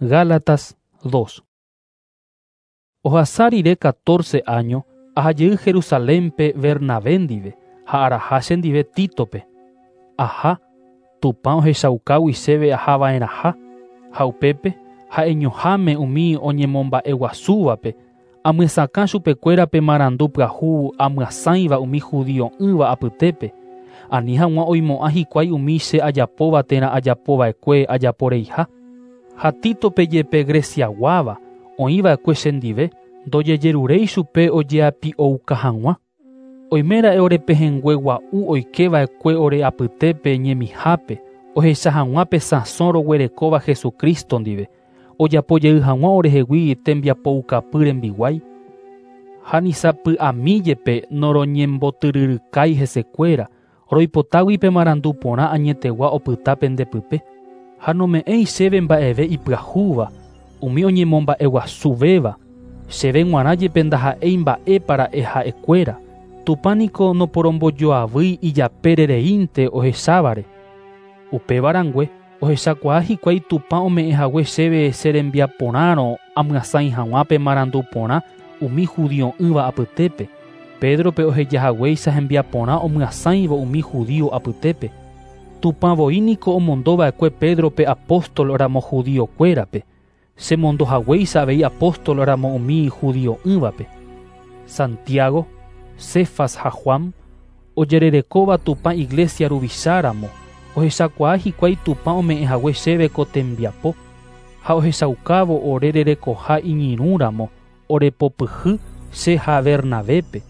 Gálatas 2. Ohasa rire catorce áño, aha jey Jerusalénpe Bernabé ndive ha araha chendive Títope. Aha, Tupã ohechaukágui chéve aha va'erãha, ha upépe, ha'eñoháme umi oñemomba'eguasúvape, amyesakã chupekuéra pe marandu pyahu amyasãiva umi judio'ỹva apytépe, ani hag̃ua oimo'ã hikuái umi che ajapóva térã ajapova'ekue ajaporeiha. Ha Títope jepe Greciaguáva, oĩva'ekue chendive, ndojejeruréi chupe ojeapi'ouka hag̃ua. Oiméra'e ore pehẽngue gua'u oikeva'ekue ore apytépe ñemihápe, ohecha hag̃ua pe sãso roguerekóva Jesucristo ndive, ojapo jey hag̃ua orehegui tembiapoukapy rembiguái. Ha ni sapy'ami jepe noroñembotyryrykái hesekuéra, roipotágui pe marandu porã añetegua opyta pende pype. Ha nome'ẽi chéve mba'eve ipyahúva, umi oñemomba'eguasuvéva, chéve g̃uarã jepe ndaha'éi mba'épa ra'e ha'ekuéra. Tupã niko noporombojoavýi ijapére reínte ohechávare. Upéva rangue, ohechakuaa hikuái Tupã ome'ẽ hague chéve che rembiaporãrõ amyasãi hag̃ua pe marandu porã umi judio'ỹva apytépe, Pédrope oheja haguéicha hembiaporã omyasãivo umi judío apytépe. Tupã voi niko omondo va'ekue Pédrope apóstol ramo judiokuérape, che mondo haguéicha avei apóstol ramo umi judio'ỹvape. Santiago, Cefas ha Juan, ojererekóva Tupã iglésia ruvicha ramo, ohechakuaa hikuái Tupã ome'ẽ hague chéve ko tembiapo, ha ohechaukávo ore rerekoha iñirũ ramo orepopyhy che ha Bernabépe,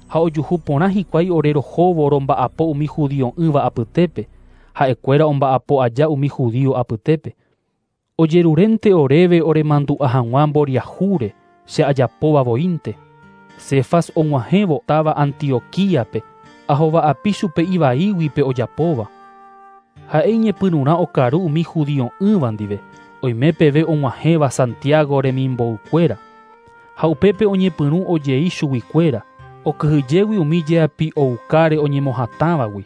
ha ojuhu porã hikuái ore rohóvo romba'apo umi judio'ỹva apytépe, ha'ekuéra omba'apo aja umi judío apytépe. Ojerurénte oréve oremandu'a hag̃ua mboriahúre che ajapóva voínte. Cefas og̃uahẽvo táva Antioquíape, ahova'api chupe ivaígui pe ojapóva. Ha'e iñepyrũrã okaru umi judio'ỹva ndive, oime peve og̃uahẽva Santiago remimboukuéra. Ha upépe oñepyrũ ojei chuguikuéra, okyhyjégui umi jeapi'oukáre oñemohatãvagui.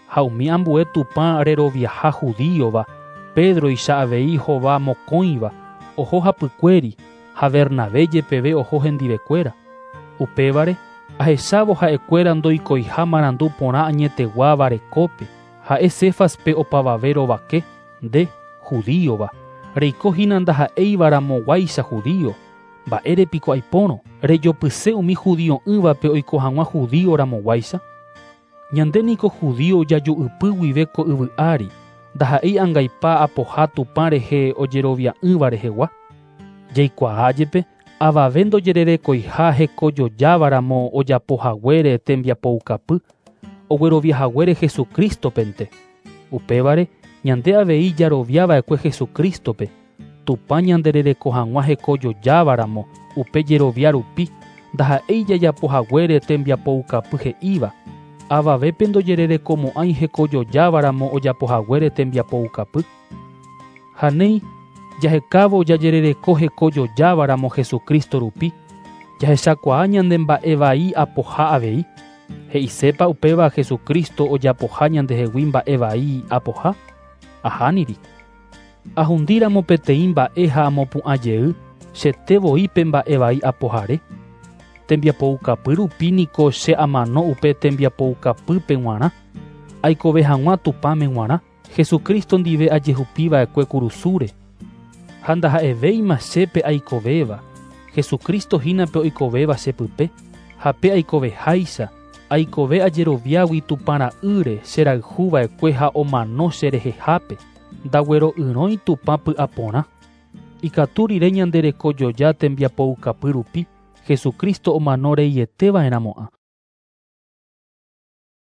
Ha umi ambue Tupã reroviaha judíova, Pédroicha avei hova mokõiva, oho hapykuéri, ha Bernabé jepeve oho hendivekuéra. Upévare, ahechávo ha'ekuéra ndoikoiha marandu porã añeteguáva rekópe, ha'e Céfaspe opavave rovake, Nde, judíova, reiko hína ndaha'éiva ramoguáicha judío, mba'ére piko aipórõ rejopyse umi judio'ỹvape oiko hag̃ua judío ramoguáicha? Ñande niko judío jaju'ypy guive ko yvy ári, ndaha'éi angaipa apoha Tupã rehe ojerovia'ỹva rehegua. Jaikuaa jepe avave ndojererekoiha hekojojáva ramo ojapo haguére tembiapoukapy, oguerovia haguére Jesucrístopente. Upévare, ñande avei jarovia va'ekue Jesucrístope, Tupã ñanderereko hag̃ua hekojojáva ramo upe jerovia rupi, ndaha'éi jajapo haguére tembiapoukapy he'íva, avavépe ndojererekomo'ãi hekojojáva ramo ojapo haguére tembiapoukapy. Ha néi, jahekávo jajerereko hekojojáva ramo Jesucristo rupi, jahechakuaa ñande mba'e vai apoha avei. He'isépa upéva Jesucristo ojapoha ñandehegui mba'e vai apoha? Ahániri. Ahundíramo peteĩ mba'e ha amopu'ã jey, chete voi pe mba'e vai apohare. Tembiapoukapy rupi niko che amano upe tembiapoukapýpe g̃uarã, aikove hag̃ua Tupãme g̃uarã, Jesucristo ndive ajehupi va'ekue kurusúre. Ha ndaha'evéima che pe aikovéva, Jesucristo hína pe oikovéva che pype, ha pe aikoveháicha, aikove ajeroviágui Tupã Ra'ýre che rayhu va'ekue ha omano che rehehápe, ndaguero'yrõi Tupã py'aporã. Ikatu rire ñande rekojoja tembiapoukapy rupi, Jesucristo omano reiete va'erãmo'ã.